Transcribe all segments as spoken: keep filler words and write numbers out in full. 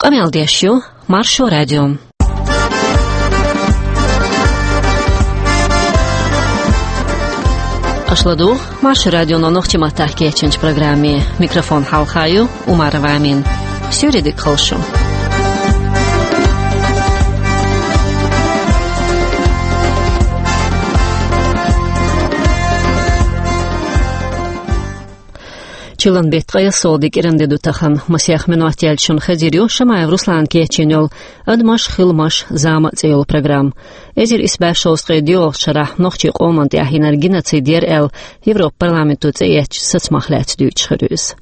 Къамел деш ю Маршо радио. Аша ладугӀу Маршо радионо нохчийн маттахь кечйинчу программе. Микрофон хьалха ю Умарова Амина. Суьйре дика хуьлда шун. Чиллан беттан ткъе ялхалгӀа де кӀиранде ду тахана. Масех минот яьлча шуна хезар ю Шамаев Руслана кечйина йолу «Адамаш, хиламаш, зама» цӀе йолу программа. Эзар исс бӀе шовзткъе доьалгӀачу шарахь нохчийн къоман тӀехь йинарг геноцид яра аьлла, Европан парламенто цӀе эцначу сацамах лаьцна дуьйцуш хир ю иза.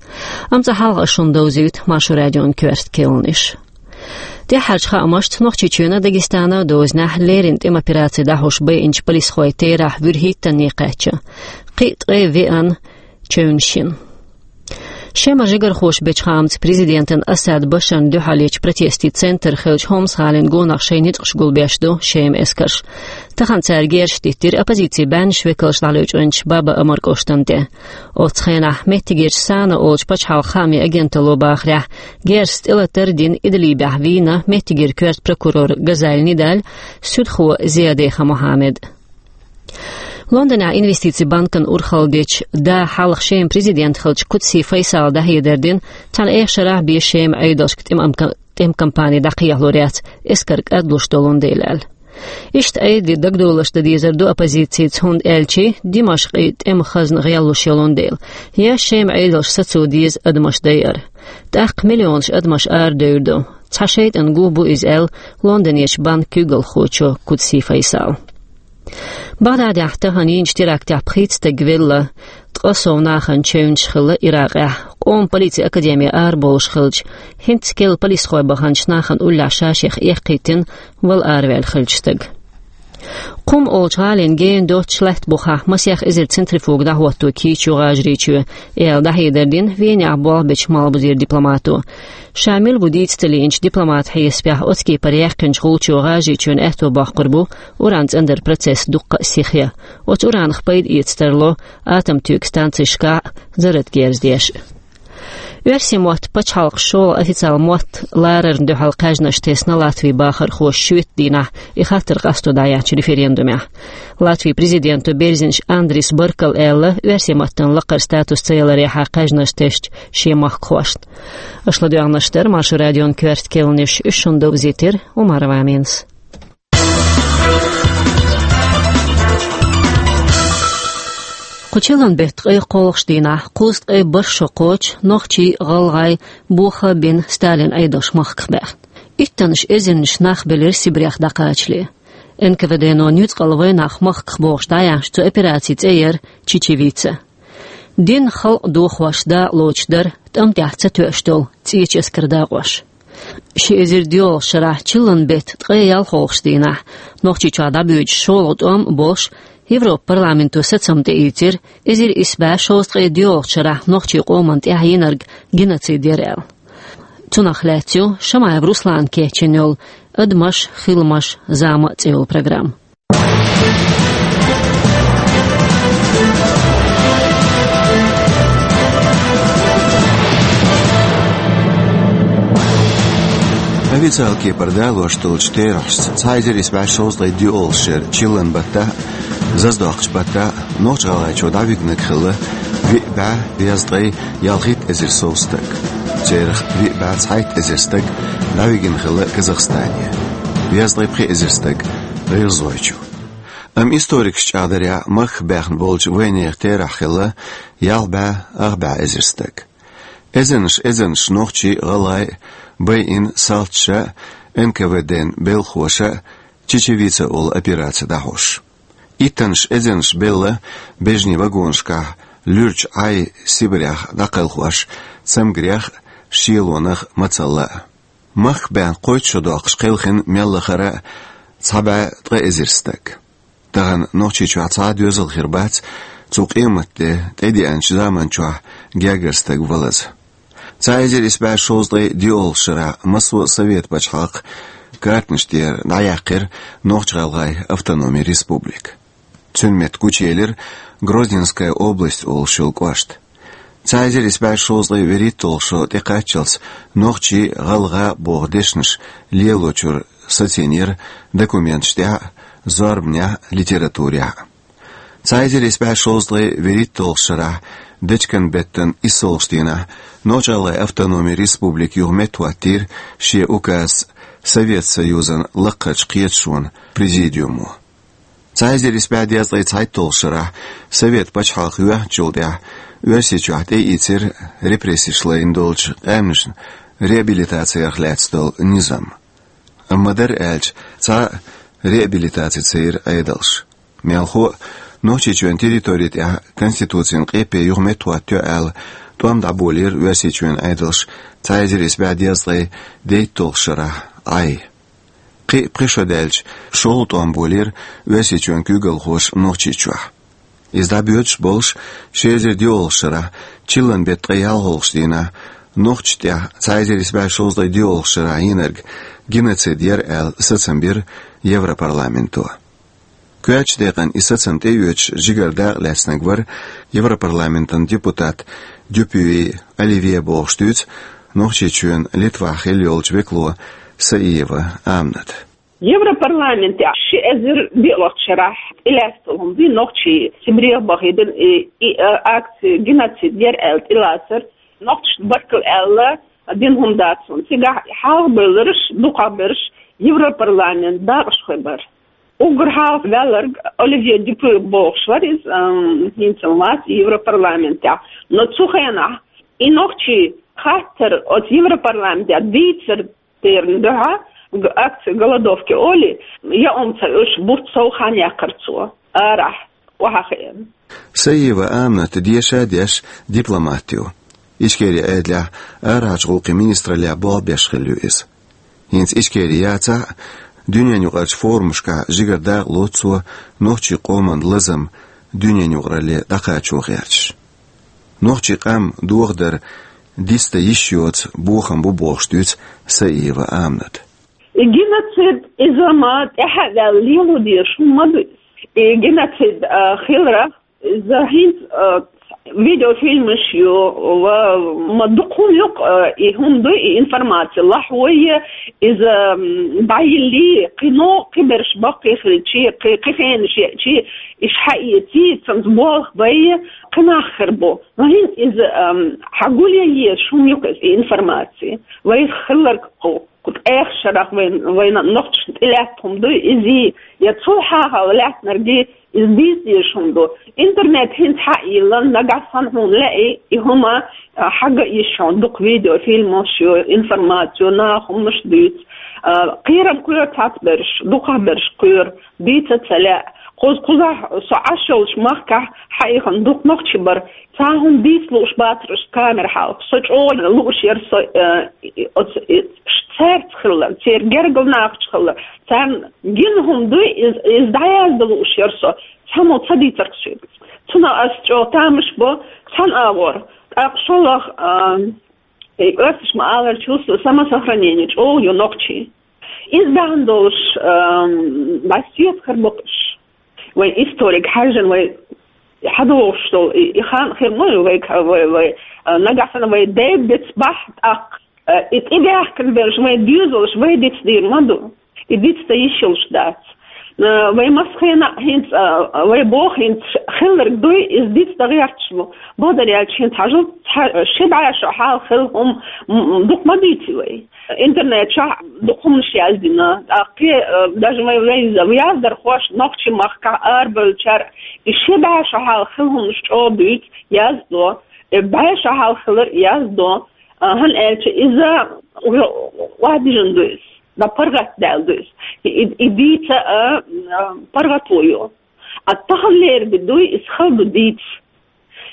Амма цкъа хьалха ас шуна довзуьйту Маршо радион коьрта кхаьънаш. ТӀаьххьарчу хаамашца, Нохчийчоьнан, Дагестанан дозанехь леррина тӀеман операци дӀахьош байинчу полисхойн терахь вуьрхӀиттанна кхаьчна. Кхин а ткъе веана чевнаш йина. Шемара жигархоша бечу хаамца президентан Асад Башарна дуьхьал ечу протестийн центр хиллачу Хомс-гӀалин гонах шайн ницкъаш гулбеш ду Шеман эскарш. Тахана цара герзаш диттира оппозицин баьхнаш векалш дӀалечкъинчу Баба-Амар кӀоштан тӀе. Оцу хенахь меттигерчу САНА олучу пачхьалкхан хаамийн агенталло бахарехь, герзаца тӀелатар а дина, Идлибехь вийна меттигера коьрта прокурор Газали Нидаль, суьдхо Зиадеха Мухьаммед. Лондонехь инвестицийн банкана урхалла дечу, да хьалха Шеман президент хиллачу Кудси Файсала дӀахьедар дина, цхьана эха шарахь бен Шеман Ӏедалшка тӀеман ка-, тӀеман кампани дӀакхехьалур яц, эскар кӀадлуш долун дела аьлла. Иштта Ӏедале дагадовларш дан дезар ду оппозицица, хӀунда аьлча Димашкъан тӀеман хазна гӀеллуш йолун дела. Я Шеман Ӏедалша сацо деза адамаш дайар. ТӀаккха миллионаш адамаш арадевр ду. Цхьа шайтӀан гуо бу иза аьлла Лондонерчу банкан куьйгалхочо Кудси Файсала. Багдадехь тахана йинчу терактехь пхийтта стаг велла, ткъа сов нахана чевнаш хилла Иракъехь. Къоман полицин академи арабовлуш хиллачу, хӀинцца керла полисхой баханчу нахана уллехь ша-шех эккхийтина вала араваьлла хиллачу стага. Кхум олучу гӀалина гена доццуш лаьтта бухахь масех эзар центрифуга дӀахӀотто кийча ю ГӀажарийчоь, аьлла дӀахьедар дина Венехь болх бечу Малхбузера дипломато. Ша мила ву дийца ца лиъначу дипломатан хьесапехь, оцу кепара яьккхинчу гӀулчо ГӀажарийчоьнан аьтто боккхур бу уран цӀандаран процесс дуккха а сихъян. Оцу уранах пайда эца тарло атомтоьган станцешкахь а, зарратан герз деш а. Оьрсийн мотт пачхьалкхан шолгӀа официалан мотт ларарна дуьхьал кхаьжнаш тесна Латвин бахархоша шоьтан дийнахь и хаттар къасто дӀаяьхьначу референдумехь. Латвин президенто Берзинш Андрис Баркала аьлла, оьрсийн маттана лакхара статус ца яларехьа кхаьжнаш тесча шен махкахошна. Аша ладоьгӀнарш дара Маршо радион коьрта кхаьънаш, уьш шуна довзийтира Умарова Аминас. Кху чиллан беттан ткъе кхоалгӀачу дийнахь, кхузткъе бархӀ шо кхочу нохчий, гӀалгӀай, боха а бина, Сталинан Ӏедалш махках баьхна. Иттаннаш эзарнаш нах белира Сибрех дӀакхачале. Н К В Д-но нуьцкъала вайнах махках бохуш дӀаяьхьначу цу операцин цӀе яра Чечевица. Дин, халкъ дохош дакъалоцуш дара тӀам тӀехь ца тоьуш долу цӀечу эскаран дакъош. Ши эзар доьалгӀачу шарахь чиллан беттан ткъе ялхолгӀачу дийнахь, Нохчийчохь дӀабоьдуш шолгӀа тӀом а болуш, Европан парламенто сацам тӀеийцира, эзар исс бӀе шовзткъе доьалгӀачу шарахь нохчийн къоман тӀехь йинарг геноцид яра аьлла. Цунах лаьцна ю Шамаев Руслана кечйина йолу «Адамаш, хиламаш, зама» цӀе йолу программа. Официалан кепара далош долчу терахьашца, цхьа эзар исс бӀе шовзткъе доьалгӀачу шеран чиллан баттахь а, заздоккхучу баттахь а Нохч-ГӀалгӀайчу дӀавигнарг хилла виъ бӀе дезткъе ялхитта эзар сов стаг. Церах виъ бӀе цхьайтта эзар стаг дӀавигна хилла Казахстане, дезткъе пхи эзар стаг — ГӀиргӀазойчу. Амма историкаша чӀагӀдарехь, махках баьхна болчу вайнехан терахь хилла ялх бӀе ах бӀе эзар стаг. Эзарнаш, эзарнаш нохчий, гӀалгӀай байина салташа а, Н К В Д-н белхахоша а Чечевица олу операци дӀахьош. Иттаннаш эзарнаш белла бежнийн вагонашкахь луьрачу Ӏай Сибрех дӀакхелхош, цамгарех а, шелонах а, мацалла а. Махках баьхна кхойтта шо доккхуш кхелхина мел лахара а цхьа бӀе ткъа эзар стаг. Тахана Нохчийчохь цхьа а доьзал хир бац, цу къематде тӀедеанчу заманчохь гергара стаг валаза. Цхьа эзар исс бӀе шовзткъе доьалгӀачу шарахь массо а Совет пачхьалкхан картанаш тӀера дӀаяьккхира Нохч-ГӀалгӀайн автономин республика. Цуьнан метта гучуелира Грозненская область олуш йолу кӀошт. Цхьа эзар исс бӀе шовзткъе вуьрхӀитталгӀа шо тӀекхаччалц нохчий, гӀалгӀай боху дешнаш лелочуьра сацийнера документаш тӀехь а, зорбанехь а, литературехь а. Цхьа эзар исс бӀе шовзткъе вуьрхӀитталгӀачу шарахь, дечкен-беттан иссалгӀачу дийнахь, Нохч-ГӀалгӀайн автономи республика юха меттахӀоттийра шен указ Совет Союзан лакхарчу кхеташонан президиумо. Цхьа эзар исс бӀе дезткъе цхьайтталгӀачу шарахь, Совет пачхьалкх йоьхначул тӀаьхьа, Оьрсийчохь тӀеийцира репрессеш лайна долчу къаьмнашна реабилитаци ярх лаьцна долу низам. Амма, дара аьлча, цхьа а реабилитаци ца йира Ӏедалша. Мелхо а, Нохчийчоьнан территори тӀехь Конституцин къепе юха меттахӀоттайо аьлла, тӀом дӀаболийра Оьрсийчоьнан Ӏедалша цхьа эзар исс бӀе дезткъе дейтталгӀачу шарахь Ӏай. Кхин а пхи шо даьлча, шолгӀа тӀом болийра Оьрсийчоьнан куьйгалхоша Нохчийчохь. Иза дӀабоьдуш болуш, ши эзар диъалгӀачу шарахь, чиллан беттан ткъе ялхалгӀачу дийнахь, нохчашна тӀехь цхьа эзар исс бӀе шовзткъе диъалгӀачу шарахь йинарг геноцид яра аьлла сацам бира Европарламенто. Коьртачу декъана и сацам тӀеоьцуш жигара дакъа лаьцнарг вара Европарламентан депутат Дюпюи Оливье бохуш дуьйцу Нохчийчоьнан Литвахь хилла йолчу векало Саиева Амината. Европарламентехь ши эзар диъалгӀачу шарахь тӀелаьцна хӀума ду нохчий Сибрех бахийтина и, и, а, акци геноцид яра аьлла тӀелацар, нохчашна баркалла аьлла дина хӀума дац хӀуна. Цигахь хьалхабевлларш, дукхахберш Европарламентан дакъашхой бара. Уггар хьалхаваьлларг Оливье Дюпюи бохуш вара иза, ам, хӀинца вац Европарламентехь. Но цу хенахь и нохчийн хаттар оцу Европарламентехь дийцар терна дуьхьа, г-, акция голодовки олий, я омца уьш бутт сов хан яьккхира цо, арахь, охьахиъна. Саиева Амината деша а деш дипломат ю. Ичкерин Ӏедалехь арахьарчу гӀуллакхийн министраллехь болх беш хилла ю иза. ХӀинца Ичкери яцахь а, дуьненаюкъарчу форумашкахь жигара дакъа лоцу цо нохчийн къоман лазам дуьненаюкъаралле дӀакхачо гӀерташ. Нохчийн къам дохадар дицдан йиш йоцу бохам бу бохуш дуьйцу Саиева Амината. И геноцид иза ма тӀаьхьа а ваьлла лело дезаш хӀума ма ду. И геноцид, а, хиларх, иза хӀинца, а, видеофильмаш ю, ва ма дукха хӀума ю-кх, а, и хӀума ду, и информаци лахьой, иза, м, дӀайиллий, кхин а, кхин берш баккхий хилчий, кхин, кхин хенаш еачий, иш хьаэций, цунца болх бай, кхин нах хир бу. Но хӀинца иза, ам, хьан гулъян езаш хӀума ю-кх иза, и информаци. Вайх хилларг кху, кху тӀех шарахь вайн, вайна нохчашна тӀелаьтта хӀума ду иза, я цул хьалха лаьттинарг иза дийца дезаш хӀума ду. Интернет хӀинца хьа а йиллина, нагахь санна хьуна лаьий, и хӀума, а, хьан ган йиш хьуна, дукха видеофильмаш ю, информаци ю, наха хӀуманаш дуьйцу. А, кхерам кхоьру цхьацца берш, дукхахберш кхоьру. Дийца а ца лаьа. Кхуза, кхузахь со Ӏаш йолчу махкахь хьаихина дукха нохчий бара. Цхьа хӀума дийца лууш бацара уьш камера хьалха. Со чӀогӀа лууш яра со, э, и, оцу, и, ш-, цаьрца хилла, церан гергара нахаца хилла. Царна гина хӀума дуй, иза, иза дӀаяздан лууш яра со. Цхьаммо ца дийцарх соьга. Цунах ас чӀогӀа тамаш бо, цхьана агӀор. ТӀаккха шолгӀа, а, и оьрсаша ма-аллара, чувство самосохранения чӀогӀа ю нохчийн. Иза бахьана долуш, ам, дӀасаца хир бу-кх уьш. Вайн историк хьаьжжина вай хьадогӀуш долу и, и хан хир ма ю вай, вай, вай, а, нагахь санна вай дай-бац бахь тӀаккха, а, и тӀебаьхкина берш, вайн доьзалш вай дицдийр ма ду. И дицдан йиш йолуш дац. А, вай массо хенахь хӀинца, а, вай боху хӀинца хилларг дуй, иза дицдан гӀерташ бу. Бакъдар аьлча, хӀинца хьажал, цхьа, ши бӀе шо хьалха хилла хӀума, м, м, дукха ма дийци вай. Интернет чохь дукха хӀуманаш яздина. ТӀаккха, э, даже вай, вай яздархоша нохчийн махкахь арабевллачара и ши бӀе шо хьалха хилла хӀуманаш чӀогӀа дуьйцу, яздо, и бӀе шо хьалха хилар яздо. А, хӀунда аьлча иза охьадижина ду иза, дӀа паргӀатдаьлла ду иза. И, и, и дийца, а, а, паргӀато ю. А таханлера де дуй, иза хала ду дийца.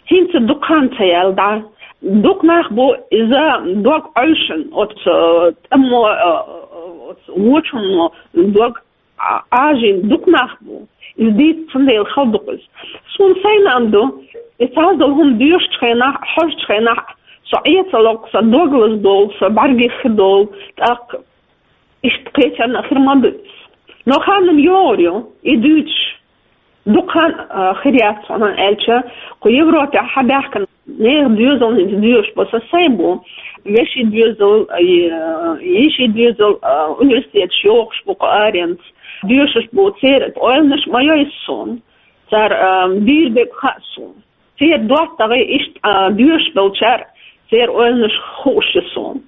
ХӀинца дукха хан ца яьлла дӀа. Дукха нах бу иза дог Ӏовшина, оцу, э, тӀамо, э, оцу вочунно дог Ӏа-, Ӏажийна дукха нах бу. Иза дийца цундела хала ду-кх иза. Суна сайна а ма ду, и цхьа долу хӀума доьшучу хенахь, хьожучу хенахь, со Ӏен ца ло-кх, сан дог лазадолу, сан бӀаьргех хи долу, тӀаккха иштта кхечарна а хир ма ду иза. Но хан-м йогӀур ю, и дуьйцуш. Дукха хан, а, хир яц, хӀунда аьлча кху Европехь хьабаьхкина Нехан доьзал хӀинца доьшуш бо со сай бу. Вешин доьзал, э, йишин доьзал, э, университеташ йохуш бу кху аренца. Доьшуш бу церан ойланаш ма йойсу суна. Цара, э, дийр дерг хаьа суна. Церан доттагӀий иштта, э, доьшуш долчара церан ойланаш хууш ю суна.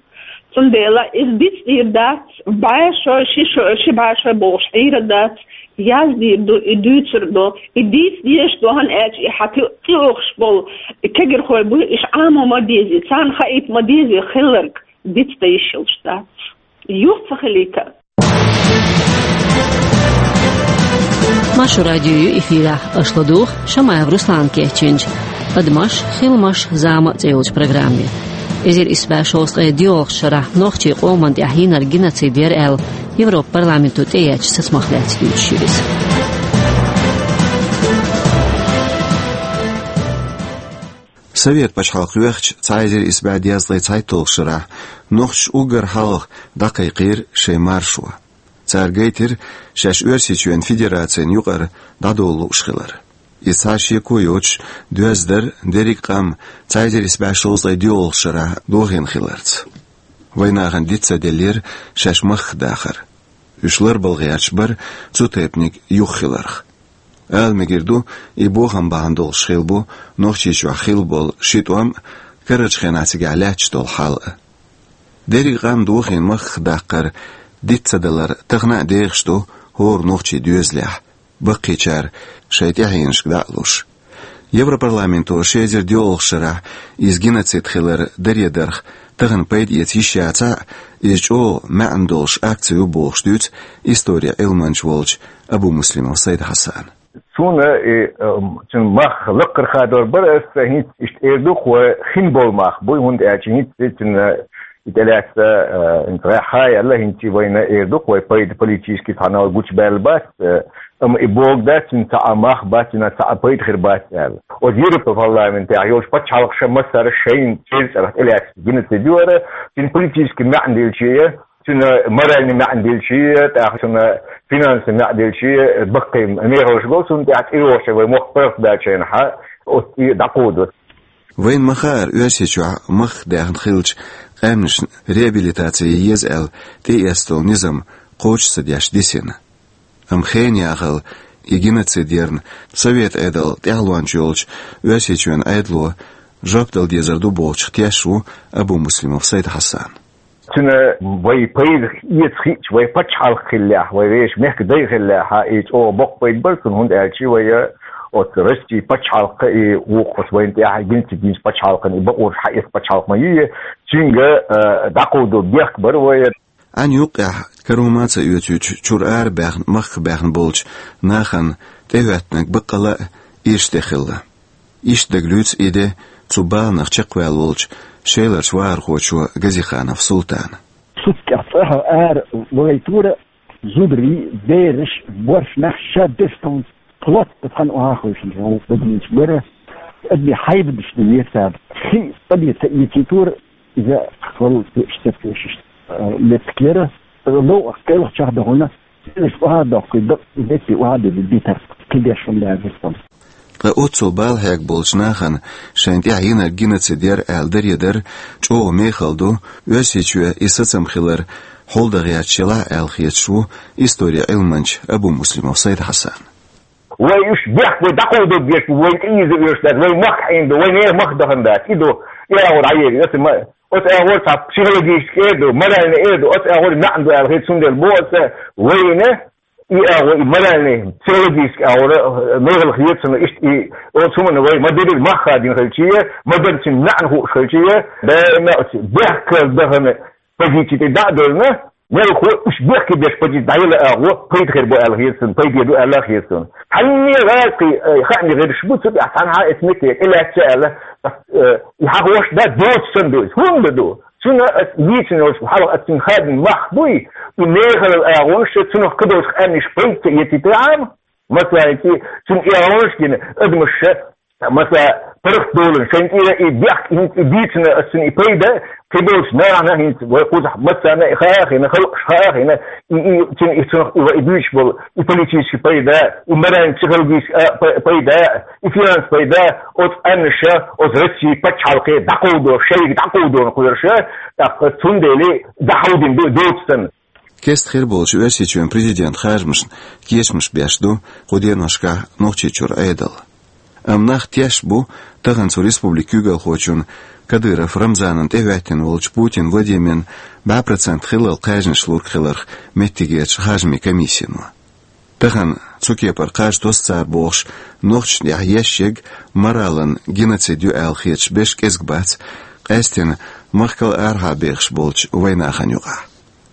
Цундела иза дицдийр дац, бӀе шо, ши шо, ши бӀе шо бохуш Ӏийр дац, яздийр ду, и дуьйцур ду, и дийца дезаш ду, хӀана аьлча и хьан тӀе-, тӀеухуш болу и кегирхой бу, иш Ӏамо ма дезий, царна хаийта ма дезий хилларг, дицдан йиш йолуш дац. Юха ца хилийта. Маршо радио ю эфирехь, аша ладугӀу Шамаев Руслана кечйинчу «Адамаш, хиламаш, зама» цӀе йолчу программе. Эзар исс бӀе шовзткъе доьалгӀачу шарахь нохчийн къоман тӀехь йинарг геноцид яра аьлла, Европа парламенто тӀеэцначу сацамах лаьцна дуьйцуш ю иза. Совет пачхьалкх йоьхча, цхьа эзар исс бӀе дезткъе цхьайтталгӀачу шарахь нохчаша уггар хьалха дӀакхайкхийра шайн маршо. Цара гайтира шаьш Оьрсийчоьнан Федерацина юкъара дӀадовла лууш хилар. Иза цхьа шеко йоцуш доьзна дара дерриг а къам цхьа эзар исс бӀе шовзткъе доьалгӀачу шарахь дохийна хиларца. Вайн нахана диц ца деллера шаьш махках дахар. Уьш ларбала гӀерташ бара цу тайпаниг юха хиларх. Ала мегар ду, и бохам бахьана долуш хилла бу Нохчийчохь хилла болу ши тӀом а, карарчу хенахь цигахь лаьтташ долу хьал а. Дерриг а къам дохийна махках даккхар диц ца далар тахана а дехаш ду хӀора нохчийн доьзалехь, баккхийчара шайн тӀаьхьенашка дӀа а луш. Европарламенто ши эзар доьалгӀачу шарахь иза геноцид хилар даре дарх тахана пайда эца йиш яцахь а, иза чӀогӀа маьӀна долуш акци ю бохуш дуьйцу историн Ӏилманча волчу Абумуслимов Сайд-Хьасана. Суна и, ам, цуьнан мах лакхара хадор бара аса, хӀинца иштта эр ду-кх вай хин болу мах буй, хӀунда аьлча хӀинца цуьнан и тӀелаьцна, а, хӀинца гӀеххьа а яьлла, хӀинца вайна эр ду-кх вай пайда политически цхьана гучубаьлла бац, а, амма и бохург дац, цуьнан цхьа а мах бац, цуьнан цхьа а пайда хир бац аьлла. Оцу Европа парламентехь йолчу пачхьалкхаша массара шайна церан цӀарах тӀелаьцна геноцид ю хӀара, цуьнан политически маьӀна делчий, цуьнан моральный маьӀна делчий, тӀаккха цуьнан финансовый маьӀна делчий, баккхий мехаллаш го цунна тӀехь, цӀе йогӀучу вай мохк паргӀатбаьллачу хенахь, оцу и дӀакховдо. Вайна ма-хаъара, Оьрсийчохь махках даьхна хиллачу къаьмнашна реабилитаци еза аьлла тӀеэцна долу низам кхочуш ца деш дисина. Амма хенан яхалла и геноцид ярна Совет Ӏедал тӀаьхьалонча йолчу Оьрсийчоьнан Ӏедало жоп дала дезар ду бохучух тешаш ву Абумуслимов Сайд-Хьасан. Цуьнан вай пайда эца хиъча, вай пачхьалкх хиллехь, вай вешан мехкан дай хиллехь, и чӀогӀа боккха пайда бара цунна, хӀунда аьлча вай оцу Россин пачхьалкх и вукху оцу вайна тӀехь геноцид йинчу пачхьалкхана и бакъонаш хьаэца пачхьалкх ма ю, цуьнга, а, дӀакховдо бехк бара вай. Ӏаьнан юккъехь карома а ца оьцуьйтуш, чуьра ара баьхна, махках баьхна болчу нахана тӀехӀоьттинарг баккъалла а ирча де хилла. Иштта дагалуьйцу и де цу баланах чекхваьлла волчу Шеларчу вахархочо Газиханов Султана. Суьттех цӀахь ара вагӀийтора зударий, бераш, боршнаш, шадерш тхуна плотно цхьаьна охьахевшина, хӀара бадинчу бара, адамийн хьайбанаш ду весаба. Хи къа бен ца эцийтора, иза хала тешаш, ца тешаш, а, меттиг яра. Лов а кӀелхачохь дахана, бераш охьадоккхуьйту, дакъа метте охьадевлла дитар, кхидерш хӀума лаьрра тхуна. Ткъа оццул бала хьегна болчу нахана шайна тӀехь йинарг геноцид яра аьлла даре дар чӀогӀа мехала ду, Оьрсийчоь и сацам хилар хьулдан гӀерташ елахь а аьлла хеташ ву историн Ӏилманча Абумуслимов Сайд-Хьасан. Вай уьш бехк, вай дӀакховдо безаш бу, вай тӀеийза оьшуш дац, вай махках Ӏийна ду, вай нехан мах дахана дац, и ду, и агӀор дӀаери, оцу ма-, оцу агӀор цхьа психологически эр ду, моральный эр ду, оцу агӀор маьӀна ду аьлла хета, цундела боху аса вайна, и агӀо, и моральный, психологически агӀора, э, мехала хета цунна иштта и, оцу хӀуманна вай ма-дарра мах хадийна хилчий, ма-дарра цуьнан маьӀна хууш хилчий, даима оцу бехкала дахана позици тӀе дӀа а девлла, мелхо уьш бехке беш позици дӀаяла агӀо пайда хир бу аьлла хета цунна, пайде ду аьлла хета цунна. Цхьанне гӀазкхий, э, хаамийн гӀирсаш бу, цу тӀехь цхьанхьа эцу метте тӀелаьцна аьлла, э, и хьахош дан доцуш санна ду иза. ХӀунда ду? Цуьнан аса йийцина йолуш хьалха аса цуьнан хадийна мах буй, и мехала агӀонаш цунах кхидолчу къаьмнаш пайда ца эцийтахьара, масала, цуьнан и агӀонаш гина адамаш ша, масала, паргӀатдолаш, шайн тӀера и бехк, и, и дийцина ас цунна и пайда, кхыболча нахана хӀинца вай кхузахь массарна а и хаа хина, халкъаш хаа хина, и, и, цун, и цунах и вай буьйцуш бола и политический пайда, и морально-психологический, а, па-, пайда, и финанс пайда, оцу къаьмнаша, оцу Россин пачхьалкхе дӀакховдо, шайга дӀакховдо кхоьруш, тӀаккха цундела дӀахьовдина ду доцу санна. Кеста хир болчу Оьрсийчоьнан президентан харжамашна кечамаш беш ду кху деношкахь Нохчийчуьра Ӏедал. Амма нах тешаш бу тахана цу республикан куьйгалхочун Кадыров Рамзанан тӀехӀоьттина волчу Путин Владимирна бӀе процент хиллал кхаьжнаш лург хиларх меттигерчу харжамийн комиссино. Тахана цу кепара кхаж тосу цара бохуш, нохчашна тӀехь еш ерг моралан геноцид ю аьлла хеташ берш кӀезиг бац, къаьсттина махкал арахьа бехаш болчу вайнахана юкъахь.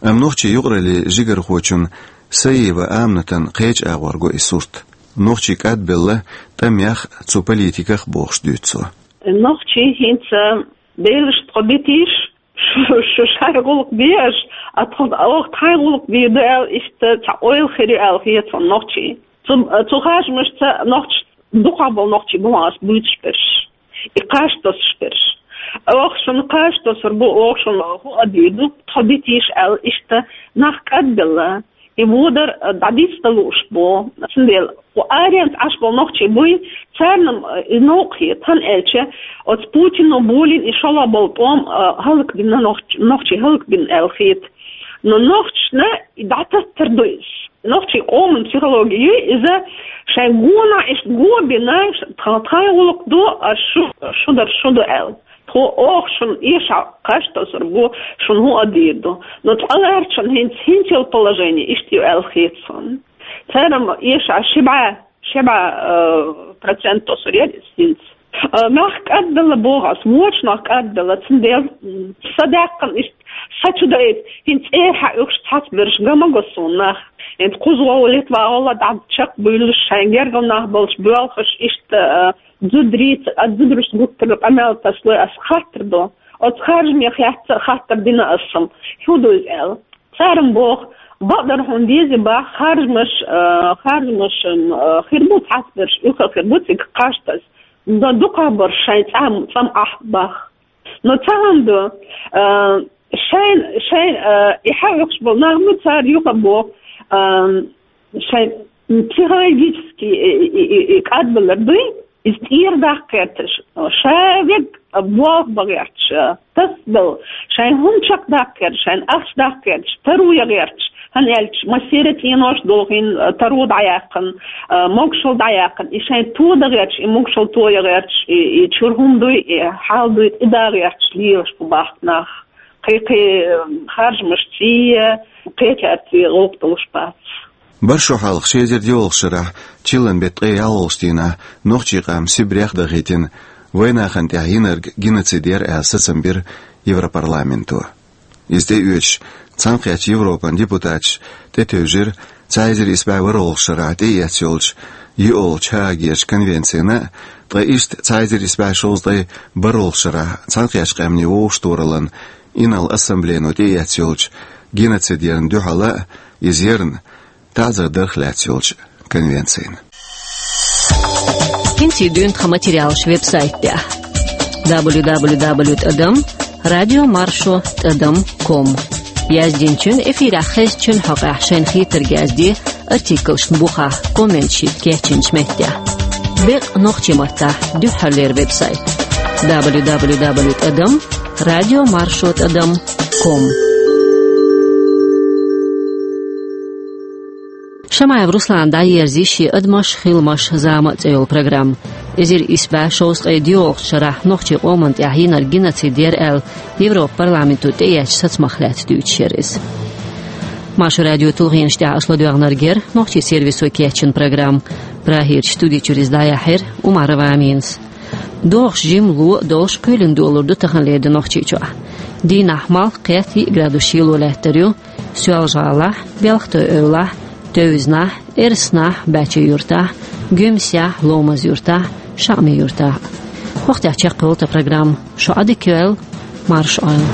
Амма нохчийн юкъараллин жигархочун Саиева Аминатан кхечу агӀор го и сурт. Нохчий кӀадбелла тӀамех а, цу политиках а бохуш дуьйцу цо. Нохчий хӀинца Делаш тхо битийша, шу, шу шайн гӀуллакх бе аша, а тхо, оха тхайн гӀуллакх бийр ду аьлла, иштта цхьа ойла хир ю аьлла хета суна нохчийн. Цу, цу харжамашца нохчашца дукхахболу нохчий бу аса буьйцуш берш, и кхаж тосуш берш. Оха шуна кхаж тосур бу, оха шуна хӀун а дийр ду, тхо битийша аьлла, иштта нах кӀадбелла. И вудар, а, дӀадиста лууш бу. Цундела кху аренца Ӏаш болу нохчий буй, царна, а, и новкъа хета, хӀунда аьлча оцу Путино болийна и шолгӀа болу тӀом, а, хӀаллакбина нохч-, нохчий хӀаллакбина аьлла хета. Но нохчашна и дӀататтар ду иза. Нохчийн къоман психологи ю иза, шайн гонах иштта го бина, ш-, тха-, тхайн гӀуллакх ду, а шу, шу дар шу ду аьлла. Тхо оха шуна эшахь кхаж тосур бу, шуна хӀун а дийр ду. Но цкъа лаьрчун хӀинца, хӀинца йолу положение иштта ю аьлла хета суна. Цара-м эшахь ши бӀе, ши бӀе, э, процент тосур яра иза хӀинца. Э, нах кӀадбелла боху ас, вочу нах кӀадбелла, цундела, м, са даьккхина иштта, са чу даийта, хӀинца цӀера хьаоьхуш цхьацца берш ган ма го суна нах. ХӀинца кхузахула, литвахула дӀа чекхбуьйлуш, шайн гергара нах болчу боьлхуш, иштта, э, зударий, а зударшна гуттар а къамел тасалой ас хаттар до. Оцу харжамех яц а хаттар дина ас-м, хӀун ду иза аьлла. Цара-м боху, бакъдерг хьуна дезий боху, харжамаш, а, харжамаш, м, а, хир бу цхьацца берш, уьхха хир бу цига кхаж таса. Но дукхахберш шайн цӀам, цӀам Ӏахь боху. Но цхьа хӀума ду, а, шайн, шайн, а, и хьаоьхуш болу нах ма цара юха боху, а, шайн психологически и, и, и, и кӀадбалар дуй, иза тӀера даккха гӀерташ, ша верг болх бан гӀерташ, тасадала, шайн хӀума чекхдаккха гӀерташ, шайн ахча даккха гӀерташ, таро ян гӀерташ, хӀунда аьлча массеран а цӀенош долу хин, таро дӀаяьккхина, могушалла дӀаяьккхина, и шайн тодан гӀерташ, и могушалла тоян гӀерташ, и, и чуьра хӀума дуй, и хьал дуй, тӀе дан гӀерташ лелаш бу бахка нах. Кхин-кхин харжамаш цӀий, кхечаьрца гӀуллакх долуш бац. БархӀ шо хьалха ши эзар диъолгӀачу шарахь чиллан беттан ткъе ялхалгӀачу дийнахь нохчийн къам Сибрех дахийтина вайнахана тӀехь йинарг геноцид яра аьлла сацам бира Европарламенто. Иза тӀеоьцуш, Цхьаьнакхеттачу Европан депутаташ тӀетевжира цхьа эзар исс бӀе ворхӀалгӀачу шарахь тӀеэцна йолчу йоьалгӀачу ХӀаагерчу конвенцина а, ткъа иштта цхьа эзар исс бӀе шовзткъе бархӀалгӀачу шарахь Цхьаьнакхеттачу Къаьмнийн Вовшахтохараллин инарла ассамблейно тӀеэцна йолчу геноцид ярна дуьхьал а, иза ярна таӀзар дарх лаьцна йолчу конвенцина. ХӀинца дуьйна тхан материалаш веб-сайтехь: дабл ю дабл ю дабл ю тӀадам радио маршо тӀадам ком. Яздинчун, эфирехь хезначун хьокъехь шайна хетарг язде, артиклашна бухахь, комменташ йита кечйинчу меттехь. Бекъа нохчийн маттахь дуьххьарлера веб-сайт: дабл ю дабл ю дабл ю тӀадам радио маршо тӀадам ком. Шамаев Руслана дӀаерзийра шен «Адамаш, хиламаш, зама» цӀе йолу программа. Эзар исс бӀе шовзткъе диъолгӀачу шарахь нохчийн къоманна тӀехь йинарг геноцид яра аьлла, Европарламенто тӀеэцначу сацамах лаьцна дуьйцуш яра иза. Маршо радион тулгӀенаш тӀехь аша ладоьгӀнарг яра нохчийн сервисо кечйина программа. Прагерчу студи чуьра иза дӀаяьхьира Умарова Аминас. ДогӀуш жимма ло а долуш, кхоьлина долур ду таханлера де Нохчийчохь. Дийнахь малх, кхетта йиъ градус шело лаьттар ю Соьлжа-ГӀалахь, Белхатуй-Эвлахь, Тевзанахь, Эрсанахь, БӀаьчий-Юьртахь, Гуьмсехь, Ломаз-Юьртахь, ШаӀми-Юьртахь. ХӀокху тӀехь чекхйолу тхан программа. Шу Ӏадика йойла, марша Ӏойла.